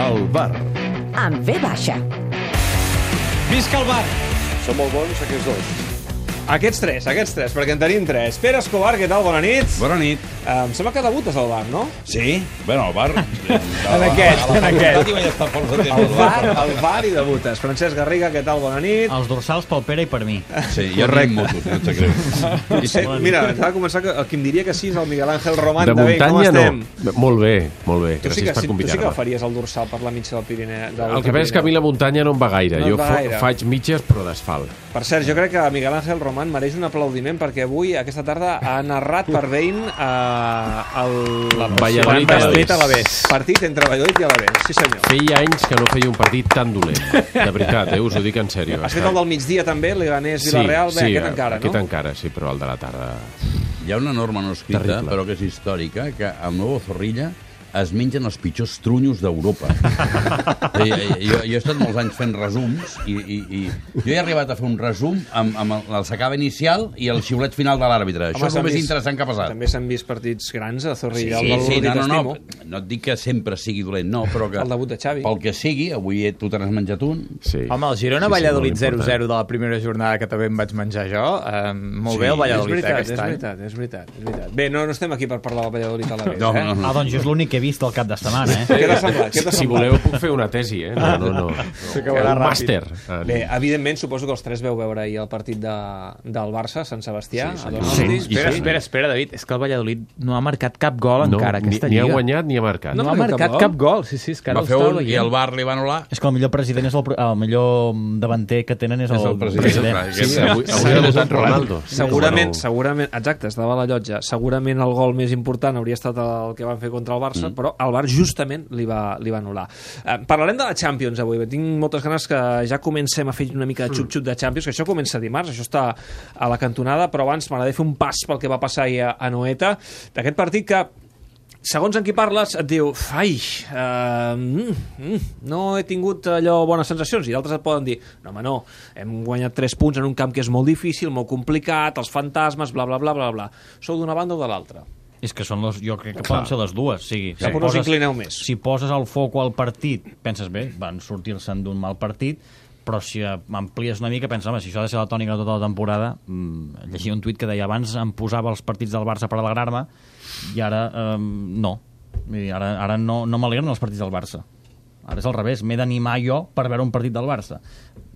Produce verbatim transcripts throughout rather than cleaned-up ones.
El bar. Amb V baixa. Visca el bar! Són molt bons aquests dos. Aquests tres, aquests tres, perquè en tenim tres. Pere Escobar, què tal? Bona nit. Bona nit. Uh, em sembla que debutes al bar, no? Sí? Bueno, al bar... En aquest, en aquest. Vaig estar força temps. Al bar, al bar i debutes. Francesc Garriga, què tal? Bona nit. Els dorsals pel Pere i per mi. Sí, jo tinc motos, no et sap greu. Eh, mira, t'ha de començar que el qui em diria que sí és el Miguel Ángel Román. De bé, com muntanya estem? no. Molt bé, molt bé. Tu sí Gràcies que, per sí, tu sí que convidar-me. faries el dorsal per la mitja del Pirineu. Del El que passa és que a mi la muntanya no em va gaire. No et jo va fa, gaire. faig mitges, però d'asfalt. Per cert, jo crec que Miguel Ángel Román mereix un aplaudiment perquè avui, aquesta tarda, ha narrat per Bein eh, el... Valladolid Valladolid Alavés. Partit entre Valladolid i Alavés, sí senyor. Feia anys que no feia un partit tan dolent. De veritat, eh? Us ho dic en sèrio. Has fet el del migdia també, Leganés-Villarreal, sí, bé, sí, aquest encara, aquest no? encara, sí, però el de la tarda... Hi ha una norma no escrita, Terrible. però que és històrica, que al Nuevo Zorrilla es mengen els pitjors trunyos d'Europa. jo, jo, jo he estat molts anys fent resums i, i, i jo he arribat a fer un resum amb, amb el, el s'acaba inicial i el xiulet final de l'àrbitre. Això és el més interessant que ha passat. També s'han vist partits grans a Zorrilla. Sí, el sí, del no, no, Rodríguez no, no et dic que sempre sigui dolent, no, però que... El debut de Xavi. Pel que sigui, avui tu te n'has menjat un. Sí. Home, el Girona-Valladolid zero zero de la primera jornada que també em vaig menjar jo, eh, molt Sí, bé el Valladolid és veritat, aquest és any. veritat, és veritat, és veritat. Bé, no, no estem aquí per parlar del Valladolid a la vez, No, eh? no, no. Ah, doncs jo és l'únic que he vist el cap de setmana, eh? Què t'ha semblat? Què t'ha Si semblat? voleu puc fer una tesi, eh? No, no, no. S'acabarà Un ràpid. màster. en- Bé, evidentment, suposo que els tres veu veure ahir el partit de, del Barça, Sant Sebastià. Sí, a senyor. Donosti. Sí, Espera, sí. espera, espera, David, és que el Valladolid no ha marcat cap gol no, encara, ni, aquesta ni ha lliga. guanyat ni ha marcat. No, No ha ha marcat marcat cap cap gol, sí, sí, és que ara Va ho fer estava un i veient. el Bar li va anul·lar. És que el millor president és el, el millor davanter que tenen és el, És el president. Sí, avui, avui ha debutat Ronaldo. Segurament, Bueno, segurament, exacte, estava a la llotja. Segurament el gol més important hauria estat el que van fer contra el Barça, mm. però el Bar justament li va, li va anul·lar. Eh, parlarem de la Champions avui. Tinc moltes ganes que ja comencem a fer una mica de xup-xup de Champions, que això comença dimarts, això està a la cantonada, però abans m'agradaria fer un pas pel que va passar ahir a, a Noeta, d'aquest partit que segons en qui parles, et diu ai, uh, mm, mm, no he tingut allò bones sensacions, i d'altres et poden dir, no home, no, hem guanyat tres punts en un camp que és molt difícil, molt complicat, els fantasmes, bla, bla, bla, bla, bla. Sou d'una banda o de l'altra? És que són les, jo crec que Clar. poden ser les dues. O sigui, Cap on us inclineu més? Si poses el foc al partit, penses bé, van sortir-se'n d'un mal partit, però si amplies una mica, penses, home, si això ha de ser la tònica de tota la temporada, mmm, llegia un tuit que deia abans em posava els partits del Barça per alegrar-me i ara eh, no. Vull dir, ara, ara no, no m'alegren els partits del Barça. Ara és al revés, m'he d'animar jo per veure un partit del Barça.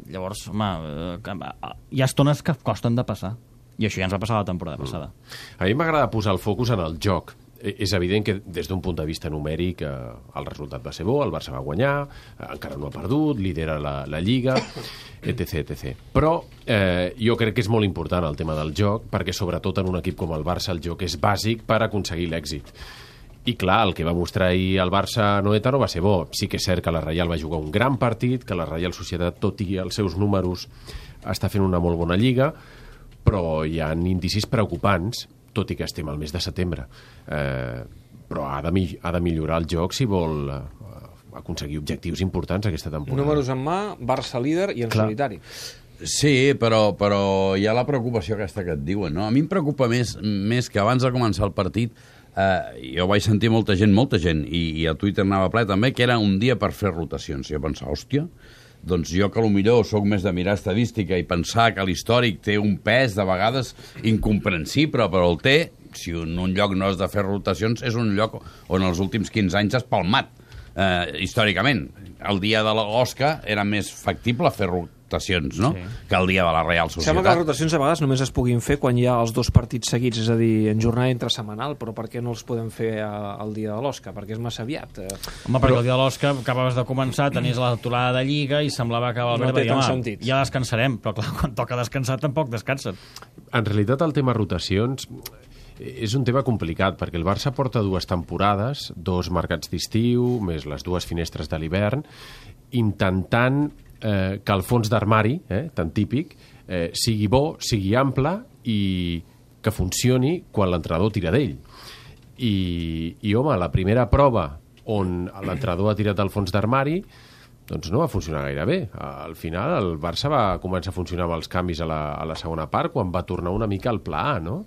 Llavors, home, eh, hi ha estones que costen de passar. I això ja ens va passar la temporada passada. A mi m'agrada posar el focus en el joc. Eh, És evident que des d'un punt de vista numèric eh, el resultat va ser bo, el Barça va guanyar, eh, encara no ha perdut, lidera la, la Lliga, etc etcètera. Però eh, jo crec que és molt important el tema del joc, perquè sobretot en un equip com el Barça el joc és bàsic per aconseguir l'èxit. I clar, el que va mostrar ahir el Barça a Noeta no va ser bo. Sí que és cert que la Reial va jugar un gran partit, que la Reial Societat, tot i els seus números, està fent una molt bona Lliga, però hi ha indicis preocupants, tot i que estem al mes de setembre. Eh, però ha de, mi- ha de millorar el joc si vol eh, aconseguir objectius importants aquesta temporada. Números en mà, Barça líder i en Clar. solitari. Sí, però, però hi ha la preocupació aquesta que et diuen, no? A mi em preocupa més, més que abans de començar el partit eh, jo vaig sentir molta gent, molta gent, i, i a Twitter anava ple també, que era un dia per fer rotacions. I jo pensava, hòstia, doncs jo que millor sóc més de mirar estadística i pensar que l'històric té un pes de vegades incomprensible, però el té, si en un lloc no has de fer rotacions, és un lloc on els últims quinze anys has palmat, eh, històricament. El dia de l'Osca era més factible fer rotacions, no? Sí. Que el dia de la Real Societat. Sembla que les rotacions a vegades només es puguin fer quan hi ha els dos partits seguits, és a dir, en jornada intrasetmanal, però per què no els podem fer a, al dia de l'Osca? Perquè és massa aviat. Eh, Home, perquè el dia de l'Oscar acabaves de començar, tenies l'aturada de Lliga i semblava que Valverde No té va dir, tant home, sentit. ja descansarem, però clar, quan toca descansar tampoc descansen. En realitat el tema rotacions és un tema complicat, perquè el Barça porta dues temporades, dos mercats d'estiu, més les dues finestres de l'hivern, intentant eh, que el fons d'armari, eh, tan típic, eh, sigui bo, sigui ample i que funcioni quan l'entrenador tira d'ell. I, I, home, la primera prova on l'entrenador ha tirat el fons d'armari doncs no va funcionar gaire bé. Al final el Barça va començar a funcionar amb els canvis a la, a la segona part, quan va tornar una mica al pla A, no?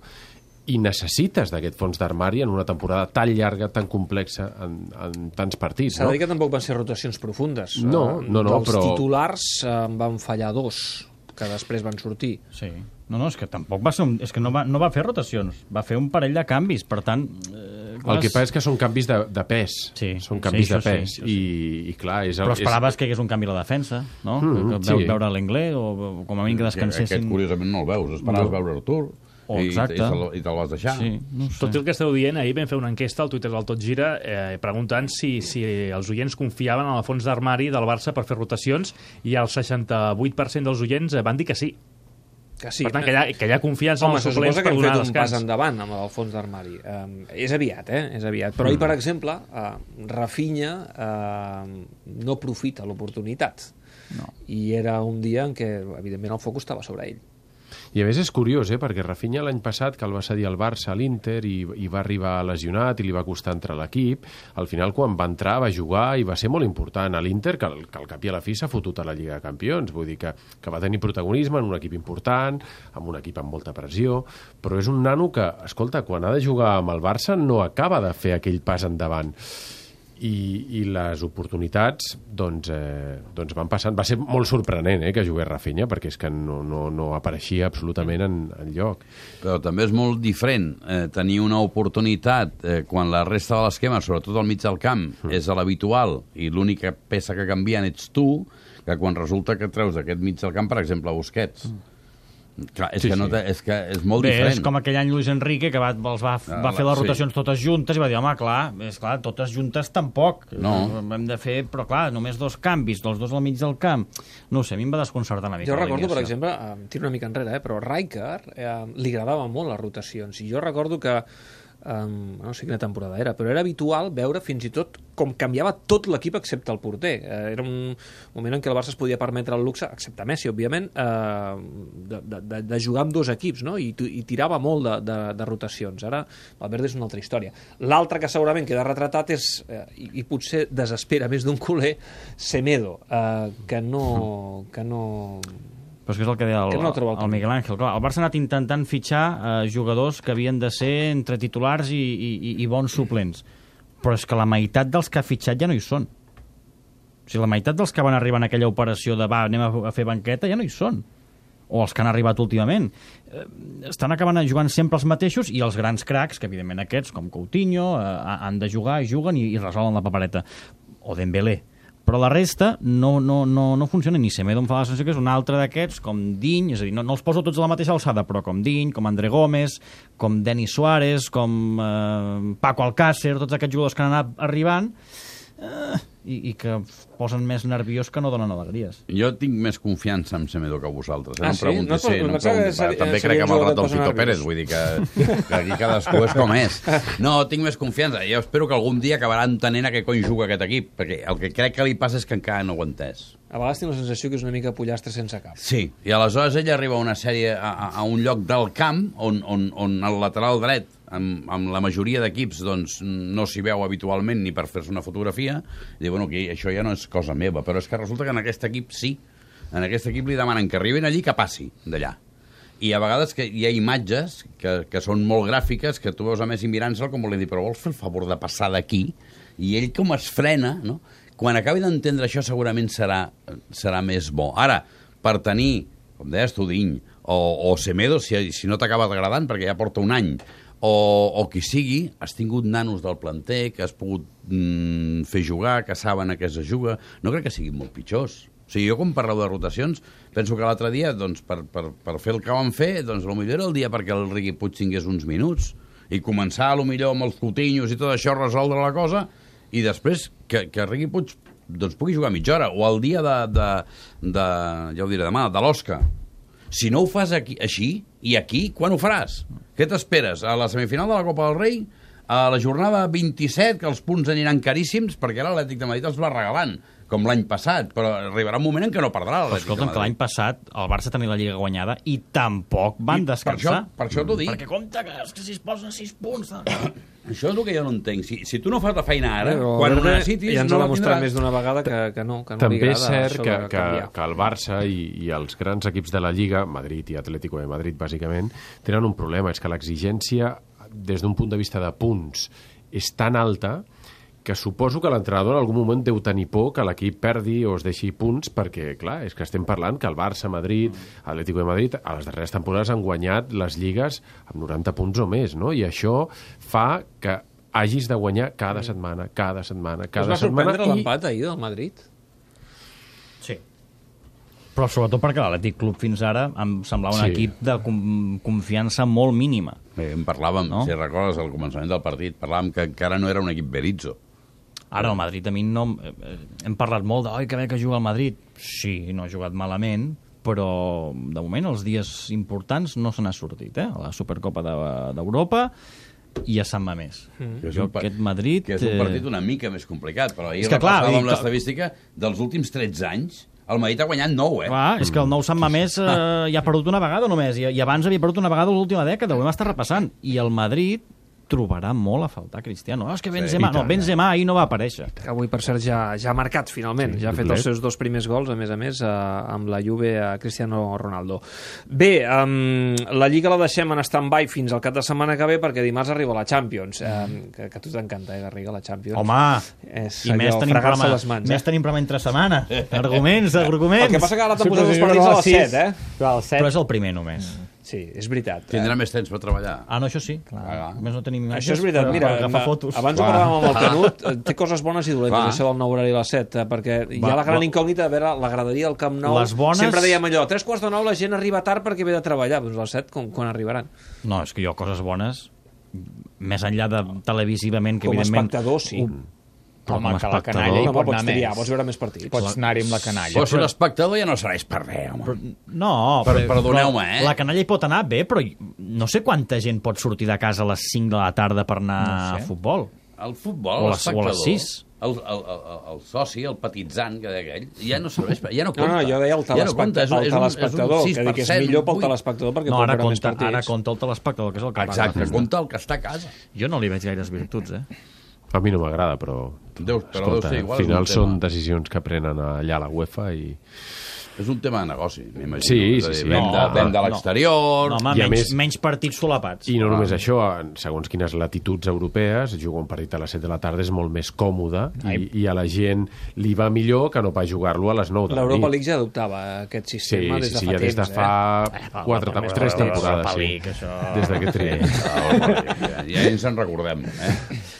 i necessites d'aquest fons d'armari en una temporada tan llarga, tan complexa, en, en tants partits. S'ha no? de dir que tampoc van ser rotacions profundes. No, no, no, Dels però... titulars en van fallar dos, que després van sortir. Sí. No, no, és que tampoc va ser un... És que no va, no va fer rotacions, va fer un parell de canvis, per tant... Eh, El que passa és que són canvis de, de pes. Sí, són canvis sí, de això pes. sí, això sí. I, I clar, és... El, Però esperaves és... que hi hagués un canvi a la defensa, no? Mm, que sí. veu, veure l'Inglés, o, o com a mínim que descansessin... Aquest, curiosament, no el veus. Esperaves No. veure Artur Oh, i, i exacte. te'l i te'l vas deixar. Sí, no sé. Tot el que esteu dient, ahir vam fer una enquesta al Twitter del Tot Gira eh, preguntant si, si els oients confiaven en el fons d'armari del Barça per fer rotacions i el seixanta-vuit per cent dels oients eh, van dir que sí. Que sí. Per tant, que hi ha, que hi ha confiança Home, en se els suplents suposa per que hem donar fet un pas descans. endavant amb el fons d'armari. Um, és aviat, eh? És aviat. Però ahir, per exemple, uh, Rafinha uh, no profita l'oportunitat. No. I era un dia en què, evidentment, el focus estava sobre ell. I a més és curiós, eh? Perquè Rafinha l'any passat, que el va cedir al Barça a l'Inter i, i va arribar lesionat i li va costar entrar a l'equip, al final quan va entrar va jugar i va ser molt important a l'Inter, que, que al cap i a la fi s'ha fotut a la Lliga de Campions, vull dir que, que va tenir protagonisme en un equip important, amb un equip amb molta pressió, però és un nano que, escolta, quan ha de jugar amb el Barça no acaba de fer aquell pas endavant. I, i les oportunitats doncs, eh, doncs van passant. Va ser molt sorprenent eh, que jugués Rafinha, perquè és que no, no, no apareixia absolutament en, en lloc. Però també és molt diferent eh, tenir una oportunitat eh, quan la resta de l'esquema, sobretot al mig del camp, mm. és l'habitual i l'única peça que canvien ets tu, que quan resulta que treus d'aquest mig del camp, per exemple, Busquets. Mm. Clar, és, Sí, que no sí. té, és que és molt Bé, diferent. és com aquell any Luis Enrique que va, els va, Ah, va fer les sí. rotacions totes juntes i va dir, home, clar, és clar, totes juntes tampoc. No. Hem de fer, però clar, només dos canvis, els dos al mig del camp. No ho sé, a mi em va desconcertar una mica. Jo recordo, per l'alineació. exemple, eh, tiro una mica enrere, eh, però Rijkaard eh, li agradava molt les rotacions. I jo recordo que, eh, no sé quina temporada era, però era habitual veure fins i tot com canviava tot l'equip excepte el porter. Eh, era un moment en què el Barça es podia permetre el luxe, excepte Messi, òbviament, eh, de, de, de jugar amb dos equips, no? I, i tirava molt de, de, de rotacions. Ara, Valverde és una altra història. L'altre que segurament queda retratat és, eh, i, i potser desespera més d'un culer, Semedo, eh, que no... Que no Però és que és el que deia el, Que no troba el el Miguel Ángel. Clar, el Barça ha anat intentant fitxar eh, jugadors que havien de ser entre titulars i, i, i bons suplents. Però és que la meitat dels que ha fitxat ja no hi són. O sigui, la meitat dels que van arribar en aquella operació de va, anem a, a fer banqueta, ja no hi són. O els que han arribat últimament. Eh, estan acabant jugant sempre els mateixos i els grans cracs, que evidentment aquests, com Coutinho, eh, han de jugar, juguen i, i resolen la papereta. O Dembélé. Però la resta no, no, no, no funciona. Ni Semedo em fa la sensació que és un altre d'aquests, com Diny, és a dir, no, no els poso tots a la mateixa alçada, però com Diny, com André Gómez, com Denis Suárez, com eh, Paco Alcácer, tots aquests jugadors que han anat arribant, eh, i, i que posen més nerviós que no donen alegries. Jo tinc més confiança en Semedo que vosaltres. Eh? Ah, no em sí? preguntis, No, sí, però no em pensava que preguntis. seria- També seria crec que un amb el jugador rat del que Fito posa Pérez, nerviós. vull dir que, que aquí cadascú és com és. No, tinc més confiança. Jo espero que algun dia acabarà entenent a què cony juga aquest equip, perquè el que crec que li passa és que encara no ho ha entès. A vegades tinc la sensació que és una mica pollastre sense cap. Sí, i aleshores ell arriba a una sèrie, a, a, a un lloc del camp on, on, on el lateral dret, amb, amb la majoria d'equips, doncs, no s'hi veu habitualment ni per fer-se una fotografia, i diu, bueno, que això ja no és cosa meva, però és que resulta que en aquest equip sí. En aquest equip li demanen que arribin allí, que passi d'allà. I a vegades que hi ha imatges que, que són molt gràfiques, que tu veus a Messi mirant-se'l com vol dir, però vols fer el favor de passar d'aquí? I ell com es frena, no? Quan acabi d'entendre això segurament serà, serà més bo. Ara, per tenir, com deies tu, Diny, o, o Semedo, si, si no t'acaba agradant, perquè ja porta un any, o, o qui sigui, has tingut nanos del planter que has pogut mm, fer jugar, que saben a què es juga, no crec que siguin molt pitjors. O sigui, jo quan parleu de rotacions, penso que l'altre dia, doncs, per, per, per fer el que vam fer, doncs, potser era el dia perquè el Riqui Puig tingués uns minuts, i començar, potser amb els Coutinhos i tot això, resoldre la cosa, i després que, que Riqui Puig doncs, pugui jugar mitja hora, o el dia de, de, de ja ho diré demà, de l'Osca. Si no ho fas aquí, així, i aquí, quan ho faràs? Què t'esperes? A la semifinal de la Copa del Rei, a la jornada vint-i-set, que els punts aniran caríssims, perquè l'Atlètic de Madrid els va regalant, com l'any passat, però arribarà un moment en què no perdrà l'Atlètic de Escolta'm, que l'any passat el Barça tenia la Lliga guanyada i tampoc van I descansar. Per això, per això t'ho dic. Perquè compte que, és que si es posen sis punts... Això és el que jo no entenc. Si, si tu no fas la feina ara, Però quan ho Verde necessitis, ja ens no ha la demostrat tindràs. més d'una vegada que, que no, que no També li és agrada cert això que, de que, canviar. que el Barça i, i els grans equips de la Lliga, Madrid i Atlético de Madrid, bàsicament, tenen un problema, és que l'exigència, des d'un punt de vista de punts, és tan alta que suposo que l'entrenador en algun moment deu tenir por que l'equip perdi o es deixi punts, perquè, clar, és que estem parlant que el Barça, Madrid, Atlético de Madrid, a les darreres temporades han guanyat les lligues amb noranta punts o més, no? I això fa que hagis de guanyar cada setmana, cada setmana, cada Us va setmana... sorprendre l'empat ahir del Madrid? Sí. Però sobretot perquè l'Atlètic Club fins ara em semblava un Sí. equip de com confiança molt mínima. Bé, en parlàvem, No? si recordes, al començament del partit, parlàvem que encara no era un equip Berizzo. Ara el Madrid a mi no... eh, Hem parlat molt de oi, que bé que juga el Madrid. Sí, no ha jugat malament, però de moment els dies importants no se n'ha sortit, eh? A la Supercopa de- d'Europa i a Sant Mamés. Mm. Que és Jo un pa- aquest Madrid... Que és un eh, partit una mica més complicat, però ahir És que, clar, repassàvem dic- l'estadística dels últims tretze anys. El Madrid ha guanyat nou, eh? Clar, és que el nou Sant Mamés eh, ja ha perdut una vegada només, i, i abans havia perdut una vegada l'última dècada, ho hem estat repassant. I el Madrid trobarà molt a faltar Cristiano. Oh, és que Benzema, Sí, no, Benzema ahir no va aparèixer. Que avui, per cert, ja, ja ha marcat, finalment. Sí, ja ha fet doblet. els seus dos primers gols, a més a més, eh, amb la Juve a Cristiano Ronaldo. Bé, um, la Lliga la deixem en stand-by fins al cap de setmana que ve, perquè dimarts arriba la Champions, um, que, que a tu t'encanta, eh, Garriga, la Champions. Home, És i més allò, tenim, fregar-se programa, les mans, eh? més tenim programa entre setmana. Arguments, arguments. El que passa que ara t'han Sí, posat però els si partits juguen a a les les set, eh? Però al set... Però és el primer només. Sí, és veritat. Tindrà més temps per treballar. Ah, no, això sí. Clar. Ah. A més no tenim imatges Això és veritat, per- mira, per agafar ma- fotos. abans ho Clar. parlàvem amb el Canut, eh, té coses bones i dolentes, Clar. això del nou horari a les set, eh, perquè hi ha Va, la gran va. incògnita de veure la graderia del Camp Nou. Les bones- Sempre dèiem allò, a tres quarts de nou la gent arriba tard perquè ve de treballar, doncs a les set quan, quan arribaran. No, és que jo coses bones, més enllà de televisivament, que Com a evidentment... espectador, sí. Ho- Però Home, com a que la espectador... canalla hi Home, pot pots anar triar, més. pots veure més partits. Pots anar-hi amb la canalla. Però si l'espectador ja no serveix per res, home. Però, no, Per- però, perdoneu-me, però eh? La canalla hi pot anar bé, però no sé quanta gent pot sortir de casa a les cinc de la tarda per anar No sé. a futbol. El futbol, O a les- o a l'espectador, les sis. el, el, el, el soci, el petitzant, que deia aquell, ja no serveix, per- ja no No, compta. no, jo deia el Ja no compta, és un- telespectador, és el un- és un telespectador, sis que per dic que és cent, millor pel vuit. telespectador perquè No, pot ara veure més compta, partits. ara compta el telespectador, que és el que paga. Exacte, compta el que està a casa. Jo no li veig gaires virtuts, eh? A mi no m'agrada, però... Deu- però deu escolta, ser igual, al final és un tema. són decisions que prenen allà a la UEFA i... És un tema de negoci, m'imagino. Sí, És a sí, dir, sí. Vem de, No, vem de no. l'exterior... No, home, I a menys, més- menys partits solapats. I no només això, en segons quines latituds europees, jugar un partit a les set de la tarda és molt més còmode i, i a la gent li va millor que no pas jugar-lo a les nou de la L'Europa nit. League ja adoptava aquest Sí, sistema des sí, de sí, fa ja des de temps. fa Eh? quatre, però- tres però- temporades, però- sí. League, això- Des d'aquest tria. Ja, ja ens en recordem. Eh?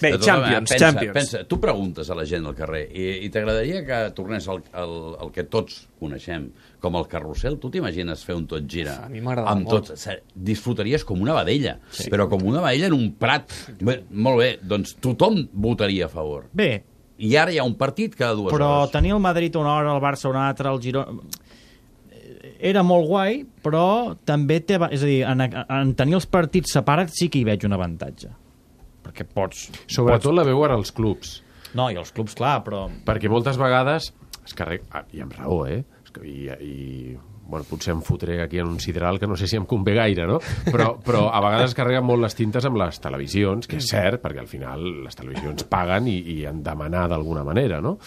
Bé, De tota Champions, manera, pensa, Champions. Pensa, tu preguntes a la gent al carrer i, i t'agradaria que tornés el, el, el que tots coneixem, com el carrusel? Tu t'imagines fer un tot gira? A mi m'agrada amb molt. Tot, ser- disfrutaries com una vedella, sí. però com una vedella en un prat. Bé, molt bé, doncs tothom votaria a favor. Bé, I ara hi ha un partit cada dues però hores. tenir el Madrid una hora, el Barça una altra, el Girona... Era molt guai, però també té... És a dir, en, en tenir els partits separats sí que hi veig un avantatge. Perquè pots... Sobretot la veuen els clubs, No, i els clubs, clar, però... perquè moltes vegades es carrega... Ah, i amb raó, eh? És que- I, i bueno, potser em fotré aquí en un sideral que no sé si em convé gaire, no? Però, però a vegades es carreguen molt les tintes amb les televisions, que és cert, perquè al final les televisions paguen i, i han de manar d'alguna manera, no?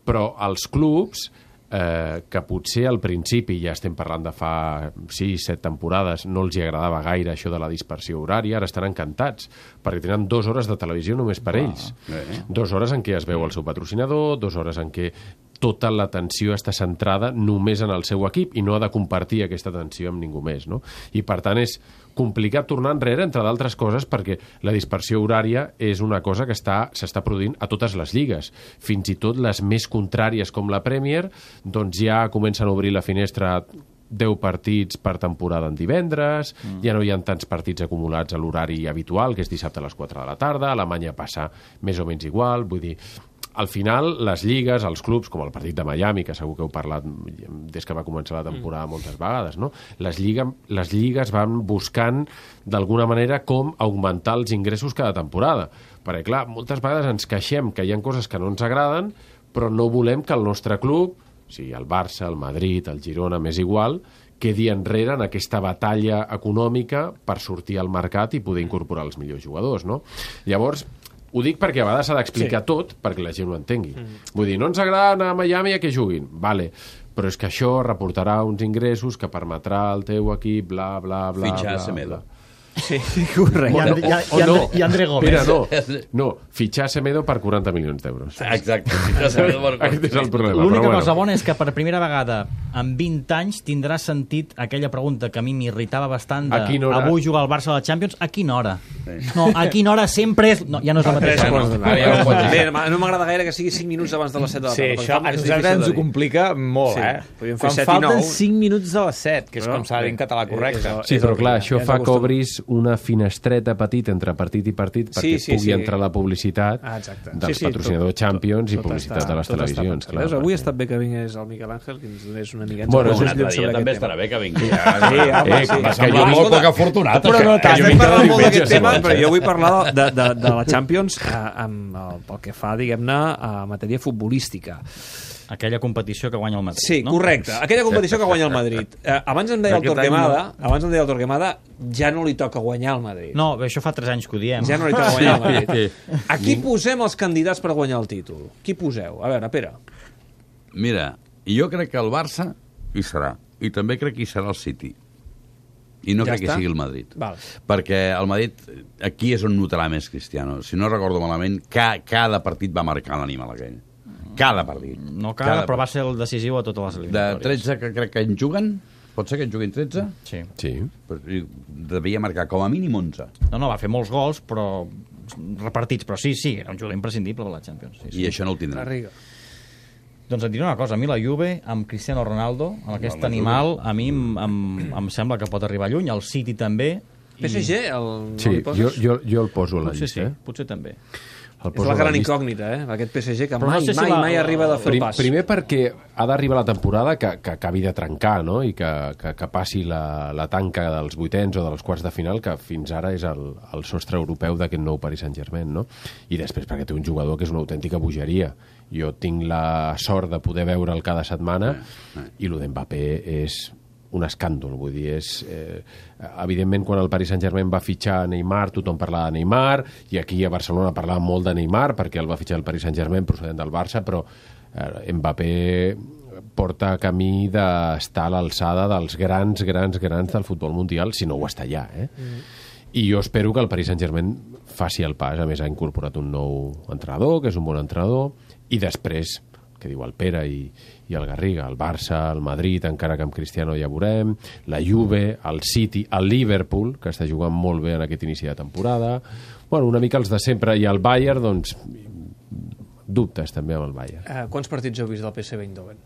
Però els clubs, eh, que potser al principi, ja estem parlant de fa sis, set temporades, no els hi agradava gaire això de la dispersió horària, ara estan encantats, perquè tenen dues hores de televisió només per ells. eh. Dues hores en què es veu el seu patrocinador, dues hores en què tota l'atenció està centrada només en el seu equip i no ha de compartir aquesta atenció amb ningú més, no? I per tant és complicat tornar enrere, entre d'altres coses, perquè la dispersió horària és una cosa que està s'està produint a totes les lligues. Fins i tot les més contràries com la Premier, doncs ja comencen a obrir la finestra deu partits per temporada en divendres, mm. ja no hi ha tants partits acumulats a l'horari habitual, que és dissabte a les quatre de la tarda, a Alemanya passa més o menys igual, vull dir, al final, les lligues, els clubs, com el partit de Miami, que segur que heu parlat des que va començar la temporada moltes vegades, no? Les, lliga, les lligues van buscant, d'alguna manera, com augmentar els ingressos cada temporada. Perquè, clar, moltes vegades ens queixem que hi ha coses que no ens agraden, però no volem que el nostre club, o sigui, el Barça, el Madrid, el Girona, m'és igual, quedi enrere en aquesta batalla econòmica per sortir al mercat i poder incorporar els millors jugadors, no? Llavors, ho dic perquè a vegades s'ha d'explicar sí. tot perquè la gent ho entengui. Mm. Vull dir, no ens agrada anar a Miami a que juguin, vale, però és que això reportarà uns ingressos que permetrà al teu equip, bla, bla, bla... Fitxar bla, Semedo. bla. Sí, correcte. I, Andre, o, o, i, o no. Andre, i Andre Gómez. Mira, no, no, fitxar Semedo per quaranta milions d'euros. Exacte. Aquest és el problema. L'única però cosa bueno. bona és que per primera vegada en vint anys tindrà sentit aquella pregunta que a mi m'irritava bastant de A quina hora? avui jugar al Barça a la Champions, a quina hora? No, a quina hora sempre és... No, ja no és la mateixa. No, No, no, no, Bé, no m'agrada gaire que sigui cinc minuts abans de les set de la Sí, tarda. això a nosaltres ens ho complica molt, Sí, eh? podríem fer Quan set i falten nou. cinc minuts a les set, que és Però, com s'ha de dir en català correcte. és- Sí, però clar, Ja això ens fa que acostum. obris una finestreta petita entre partit i partit perquè Sí, sí, pugui sí. entrar la publicitat Ah, exacte. dels Sí, sí, patrocinadors tot- Champions i tot publicitat està- de les tot està televisions. pensat. Clar, Veus, avui ha perquè- estat bé que vingués el Miquel Àngel, que ens donés una miqueta. Bueno, ens un donés altre llum dia sobre també aquest estarà tema. bé que vingui. Sí, home, Eh, sí. que va Que jo jo molt vinc- poc afortunat. Però no això. tant, jo estem vinc cada parlant molt d'aquest diumenge, tema, segons, però eh? jo vull parlar de, de, de la Champions eh, amb, el, pel que fa, diguem-ne, a matèria futbolística. aquella competició que guanya el Madrid. Sí, no? correcte. Aquella competició que guanya el Madrid. Eh, abans em deia el Aquest any Torquemada, abans em deia el Torquemada, ja no li toca guanyar el Madrid. No, bé, això fa tres anys que ho diem. Ja no li toca guanyar el Madrid. Sí. A qui posem els candidats per guanyar el títol? Qui poseu? A veure, Pere. Mira, jo crec que el Barça hi serà. I també crec que hi serà el City. I no Ja crec està? que sigui el Madrid. Val. Perquè el Madrid, aquí és on notarà més Cristiano. Si no recordo malament, ca, cada partit va marcar l'animal aquell. Cada partit. No cada, però va ser el decisiu a totes les De eliminatòries. tretze que crec que en juguen, pot ser que en juguin tretze? Sí. Sí. Però devia marcar com a mínim onze. No, no, va fer molts gols, però repartits, però sí, sí, era un jugador imprescindible per la Champions. Sí, sí. I això no el tindrà. Garriga. Doncs et diré una cosa, a mi la Juve, amb Cristiano Ronaldo, amb aquest la animal, a mi em, em, em sembla que pot arribar lluny, el City també. P S G, el... Sí, no li jo, poses? jo, jo el poso a la Potser sí, llista. Eh? potser també. El És poso la a la gran llista. incògnita, eh? Aquest P S G que Però no mai, sé si mai, la- mai arriba a fer el Prim, pas. primer perquè ha d'arribar la temporada que, que acabi de trencar, no? I que, que, que passi la, la tanca dels vuitens o dels quarts de final, que fins ara és el, el sostre europeu d'aquest nou Paris Saint-Germain, no? I després perquè té un jugador que és una autèntica bogeria. Jo tinc la sort de poder veure'l cada setmana i lo d'Mbappé és un escàndol, vull dir, és... Eh, evidentment, quan el Paris Saint-Germain va fitxar Neymar, tothom parlava de Neymar, i aquí a Barcelona parlava molt de Neymar, perquè el va fitxar el Paris Saint-Germain procedent del Barça, però eh, Mbappé porta camí d'estar a l'alçada dels grans, grans, grans del futbol mundial, si no ho està ja, eh? Mm. I jo espero que el Paris Saint-Germain faci el pas. A més, ha incorporat un nou entrenador, que és un bon entrenador, i després, que diu el Pere i, i el Garriga, el Barça, el Madrid, encara que amb Cristiano ja veurem, la Juve, el City, el Liverpool, que està jugant molt bé en aquest inici de temporada, bueno, una mica els de sempre, i el Bayern, doncs, dubtes també amb el Bayern. Eh, quants partits heu vist del P S V Eindhoven?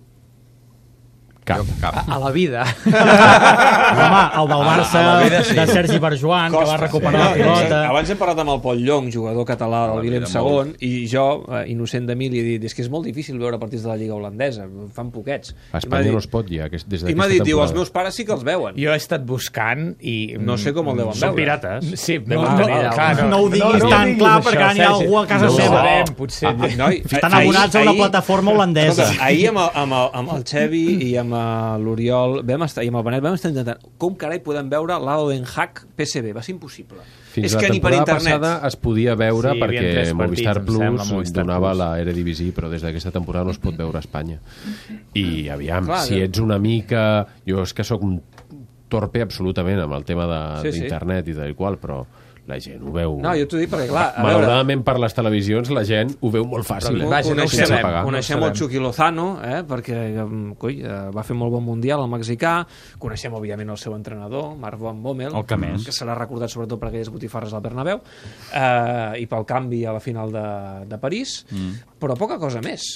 Cap. Cap. A la vida. Home, el del Barça, a la vida sí. de Sergi Barjuan, que va recuperar la pilota. Abans hem parlat amb el Pol Llong, jugador català del Willem vida segon, i jo, eh, innocent de mi, li he dit, és que és molt difícil veure partits de la Lliga holandesa, fan poquets. A Espanya no es pot ja, aquest, des I m'ha d'aquesta dit, diu, els temporada. meus pares sí que els veuen. Jo he estat buscant i... No sé com el deuen Són veure. pirates. Sí, Deuen no, tenir no, allà. clar, No ho diguis tan diguis clar, això, perquè n'hi ha Sergi. algú a casa no ho seva. sabrem, potser. Ah, noi, Estan ahir- abonats a una ahir- plataforma holandesa. Escolta, ahir amb el, amb, el, amb el Xevi i amb eh, l'Oriol vam estar, i amb el Benet vam estar intentant com carai podem veure l'Ado Den Haag P S V, va ser impossible. Fins és la que ni per temporada internet. passada es podia veure Sí, hi havia perquè tres partits, Movistar em sembla, Plus Movistar donava Plus. la Eredivisie, però des d'aquesta temporada no es pot veure a Espanya. I aviam, Clar, si que- ets una mica... Jo és que sóc un torpe absolutament amb el tema Sí, sí. d'internet i tal i qual, però la gent ho veu... No, jo t'ho dic perquè, clar, a veure... Malauradament per les televisions la gent ho veu molt fàcil. Però, Eh? vaja, no ho coneixem, sabem, pagar. coneixem no ho el Chucky Lozano, eh, perquè mm, coi, eh, va fer molt bon mundial al mexicà, coneixem òbviament el seu entrenador, Marc Van Bommel, El que més. que serà recordat sobretot per aquelles botifarres al Bernabéu, eh, i pel canvi a la final de, de París, mm. però poca cosa més.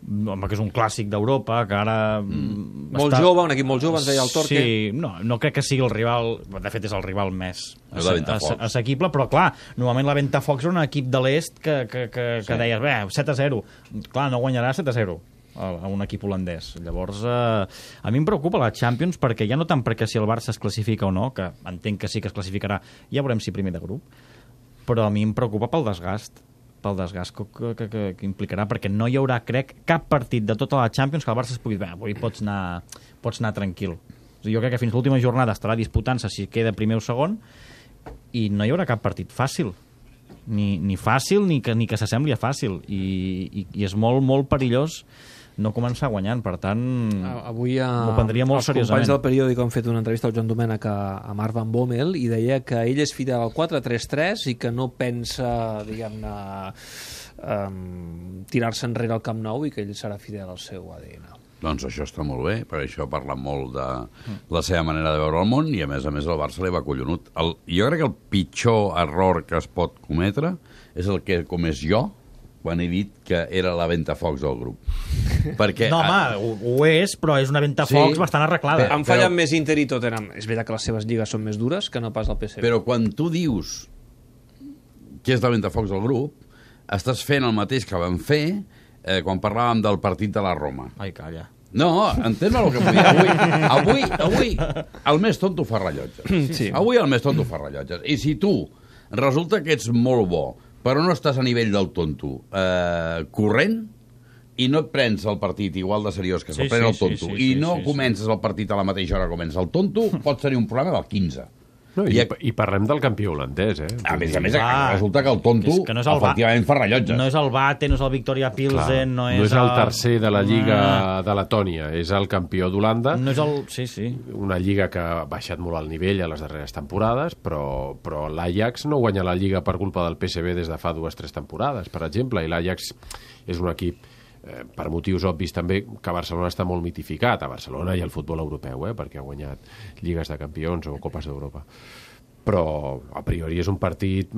home, que és un clàssic d'Europa, que ara... Mm. Molt està... jove, un equip molt jove, ens deia el Torque. Sí, no, no crec que sigui el rival... De fet, és el rival més Ventafocs. assequible, però clar, normalment la Ventafocs era un equip de l'est que, que, que, que sí. deies, bé, set a zero. Clar, no guanyarà set a zero a un equip holandès. Llavors, eh, a mi em preocupa la Champions perquè ja no tant perquè si el Barça es classifica o no, que entenc que sí que es classificarà, ja veurem si primer de grup, però a mi em preocupa pel desgast pel desgast que, que, que, que implicarà, perquè no hi haurà, crec, cap partit de tota la Champions que el Barça es pugui dir, avui pots anar, pots anar tranquil. Jo crec que fins l'última jornada estarà disputant-se si queda primer o segon i no hi haurà cap partit fàcil. Ni, ni fàcil ni que, ni que s'assembli a fàcil. I, i, i és molt, molt perillós no començar guanyant, per tant avui a, m'ho prendria molt els seriosament. companys del periòdic han fet una entrevista al Joan Domènech a, a Marc Van Bommel i deia que ell és fidel al quatre tres tres i que no pensa, diguem-ne, um, tirar-se enrere al Camp Nou i que ell serà fidel al seu A D N. Doncs això està molt bé, perquè això parla molt de la seva manera de veure el món i, a més a més, el Barça li va collonut. El, jo crec que el pitjor error que es pot cometre és el que he comès jo quan he dit que era la Ventafocs del grup. Perquè, no, home, ho, ho és, però és una Ventafocs sí, bastant arreglada. Han fallat però... més Inter i Tottenham. És veritat que les seves lligues són més dures que no pas el P S V. Però quan tu dius que és la Ventafocs del grup, estàs fent el mateix que vam fer eh, quan parlàvem del partit de la Roma. Ai, calla. No, entén el que vull dir. Avui, avui, avui el més tonto fa rellotges. Sí. Avui el més tonto fa rellotges. I si tu resulta que ets molt bo, però no estàs a nivell del tonto eh, corrent, i no et prens el partit igual de seriós que se'l sí, pren sí, el tonto, sí, sí, i no sí, sí, comences sí. el partit a la mateixa hora que comença el tonto, pot tenir un problema del quinze. No, i, I, I parlem del campió holandès, eh? A més a més, ah, resulta que el tonto que, que no efectivament fa rellotges. No és el Bate, no és el Victoria Pilsen, no és, no és el, el tercer de la Lliga ah. de Letònia, és el campió d'Holanda. No és el... Sí, sí. Una lliga que ha baixat molt el nivell a les darreres temporades, però, però l'Ajax no guanya la Lliga per culpa del P S V des de fa dues o tres temporades, per exemple, i l'Ajax és un equip eh, per motius obvis també que Barcelona està molt mitificat, a Barcelona i al futbol europeu, eh, perquè ha guanyat lligues de campions o copes d'Europa. Però a priori és un partit,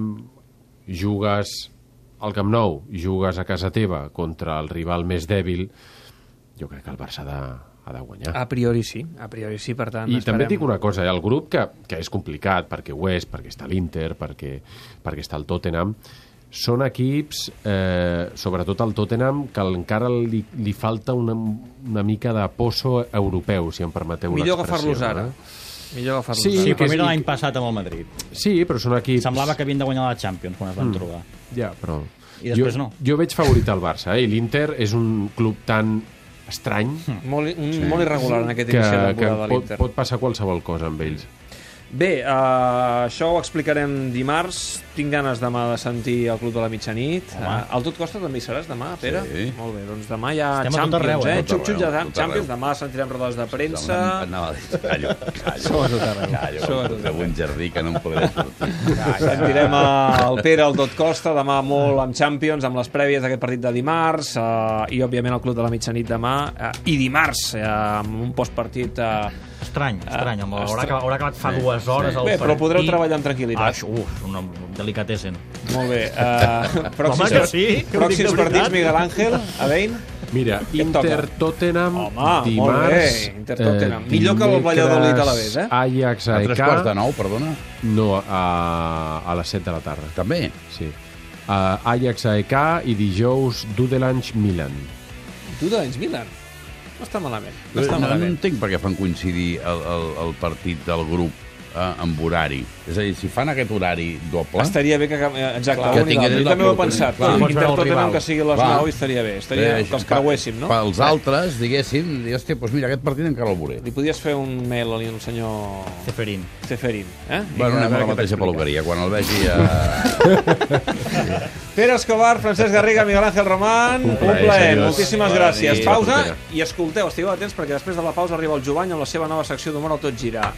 jugues al Camp Nou, jugues a casa teva contra el rival més dèbil, jo crec que el Barça ha de, ha de guanyar. A priori sí, a priori sí, per tant... I esperem... també dic una cosa, eh, el grup que, que és complicat, perquè ho és, perquè està l'Inter, perquè, perquè està el Tottenham, són equips, eh, sobretot el Tottenham, que encara li, li falta una, una mica de pozo europeu, si em permeteu una Millor expressió. Millor agafar-los ara. Eh? Millor agafar-los sí, ara. Sí, però mira l'any passat amb el Madrid. Sí, però són equips... Semblava que havien de guanyar la Champions quan es van mm. trobar. Ja, però... I després jo, no. Jo veig favorit al Barça, eh? I l'Inter és un club tan estrany... Mm. Molt, un, sí. molt irregular en aquest inici de temporada de l'Inter. Pot, pot passar qualsevol cosa amb ells. Bé, uh, això ho explicarem dimarts. Tinc ganes demà de sentir el Club de la Mitjanit. Uh, al Tot Costa també hi seràs demà, Pere? Sí. Molt bé, doncs demà hi ha Estem Champions, arreu, eh? eh? Xup-xup ja Champions, demà sentirem rodes de premsa... Anava a dir, callo, callo. Som a tot arreu. Callo, de un jardí que no em podré sortir. Sentirem el Pere al Tot Costa, demà molt amb Champions, amb les prèvies d'aquest partit de dimarts, uh, i òbviament el Club de la Mitjanit demà, uh, i dimarts, uh, amb un postpartit... Uh, Estrany, estrany. Uh, haurà, acabat, haurà acabat fa sí, dues hores sí. Bé, però podreu treballar amb tranquil·litat. Ah, uf, una delicatessen. Molt bé. Uh, pròxims Home, que sí, que pròxims partits, Miguel Ángel, Adein. Mira, Inter-Tottenham dimarts... Molt bé, Inter-Tottenham. Eh, Millor que el Valladolid a la vez, eh? Ajax a E K... A tres quarts de nou, perdona? No, a, a les set de la tarda. També? Sí. Uh, Ajax a E K i dijous Dudelange-Milan. Dudelange-Milan? No està malament. No, està no, malament. no entenc per què fan coincidir el, el, el partit del grup eh, amb horari. És a dir, si fan aquest horari doble... Estaria bé que... Exacte, clar, que jo també ho he pensat. Inter-Tottenham que sigui a les nou estaria bé. Estaria bé, que els creuéssim, no? Pels altres, diguéssim, hòstia, doncs mira, aquest partit encara el veuré. Li podies fer un mail al senyor... Ceferín. Ceferín, eh? Bueno, anem a la mateixa peluqueria, quan el vegi a... Pere Escobar, Francesc Garriga, Miguel Ángel Román, un plaer, moltíssimes gràcies. Pausa i escolteu, estigueu atents perquè després de la pausa arriba el Jovany amb la seva nova secció d'Humor al Tot Gira.